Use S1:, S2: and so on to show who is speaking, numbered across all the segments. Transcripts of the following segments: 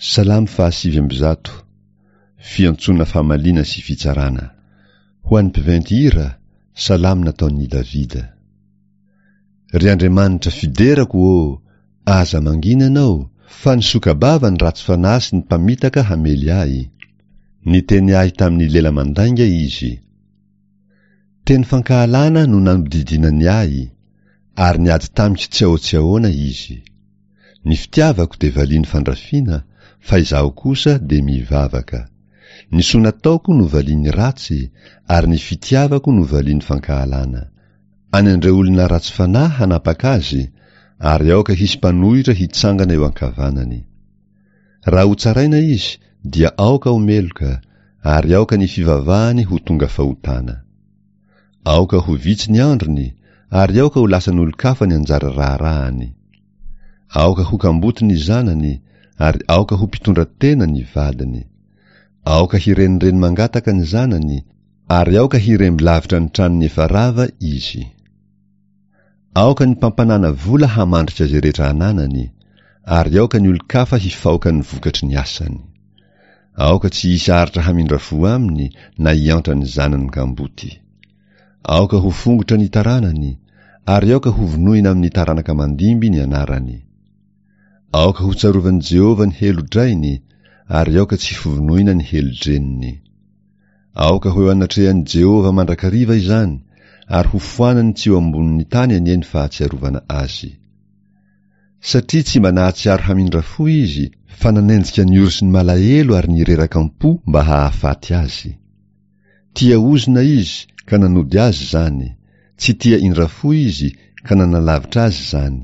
S1: Salamo faha-109, Fiantsoana famaliana sy fitsarana. Ho an'ny mpiventy hira, salamo nataon'i Davida. Ry Andriamanitra fiderako ô, aza mangina Ianao, fa nisoka-bava ny ratsy fanahy sy ny mpamitaka hamely ahy. Niteny ahy tamin'ny lela mandainga izy. Teny fankahalana no nanodidinany ahy, ary niady tamiko tsy ahoa-tsy ahoana izy. Ny fitiavako dia valiany fandrafiana, fa izaho kosa dia mivavaka. Ny soa nataoko no valiany ratsy, ary ny fitiavako no valiany fankahalana. Any an'ireo olona ratsy fanahy hanapaka azy, ary aoka hisy mpanohitra hitsangana eo ankavanany. Raha hotsaraina izy, dia aoka ho meloka, ary aoka ny fivavahany ho tonga fahotana. Aoka ho vitsy ny androny, ary aoka ho lasan'olon-kafa ny anjara raharahany. Aoka ho kamboty ny zanany, ary aoka ho mpitondra tena ny vadiny. Aoka hirenireny mangataka ny zanany, ary aoka hiremby lavitra ny tranony efa rava izy. Aoka ny mpampanàna vola hamandrika izay rehetra ananany, ary aoka ny olon-kafa hifaoka ny vokatry ny asany. Aoka tsy hisy aritra hamindra fo aminy na hiantra ny zanany kamboty. Aoka ho fongotra ny taranany, ary aoka hovonoina amin'ny taranaka mandimby ny anarany. Aoka hotsarovan'i Jehovah ny helo-drainy, ary aoka tsy hovonoina ny helo-dreniny. Aoka ho eo anatrehan'i Jehovah mandrakariva izany, ary hofoanany tsy eo ambonin'ny tany anie ny fahatsiarovana azy. Satria tsy mba nahatsiaro hamindra fo izy, fa nanenjika ny ory sy ny malahelo ary ny reraka am-po mba hahafaty azy. Tia ozona izy, ka nanody azy izany, tsy tia indra fo izy, ka nanalavitra azy izany.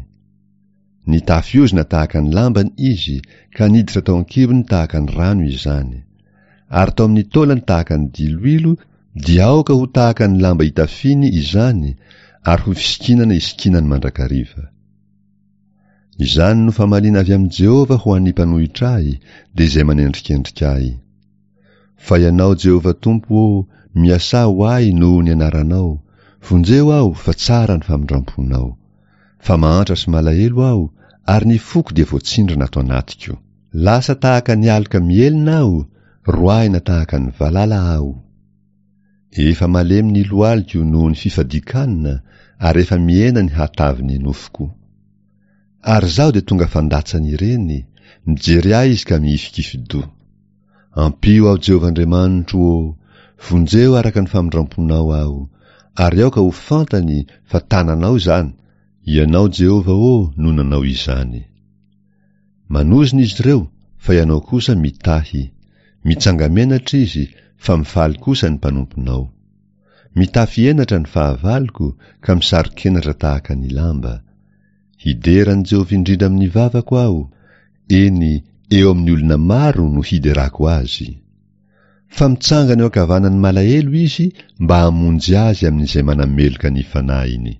S1: Nitafy ozona tahaka ny lambany izy, ka niditra tao an-kibony tahaka ny rano izany. Ary tao amin'ny taolany tahaka ny diloilo, dia aoka ho tahaka ny lamba itafiany izany, ary ho fisikinana isikinany mandrakariva. Izany no famaliana avy amin'i Jehovah ho an'ny mpanohitra ahy, dia izay manendrikendrika ahy. Fa Ianao, Jehovah Tompo ô, miasà ho ahy noho ny anaranao, vonjeo aho, fa tsara ny famindram-ponao. Fa mahantra sy malahelo aho, ary ny foko dia voatsindrona ato anatiko. Lasa tahaka ny aloka mihelina aho, roahina tahaka ny valala aho. Efa malemy ny lohaliko noho ny fifadian-kanina, ary efa mihena ny hatavin'ny nofoko. Ary izaho dia tonga fandatsan'ireny, mijery ahy izy ka mihifikifi-doha. Ampio aho Jehovah Andriamanitro ô, vonjeo araka ny famindram-ponao aho, ary aoka ho fantany fa tananao izany, Ianao Jehovah ô no nanao izany. Manozona izy ireo, fa Ianao kosa mitahy, mitsanga-menatra izy, fa mifaly kosa ny mpanomponao. Mitafy henatra ny fahavaloko ka misaro-kenatra tahaka ny lamba. Hidera an'i Jehovah indrindra amin'ny vavako aho, eny, eo amin'ny olona maro no hiderako azy. Fa mitsangana eo ankavanan'ny malahelo izy mba hamonjy azy amin'izay manameloka ny fanahiny.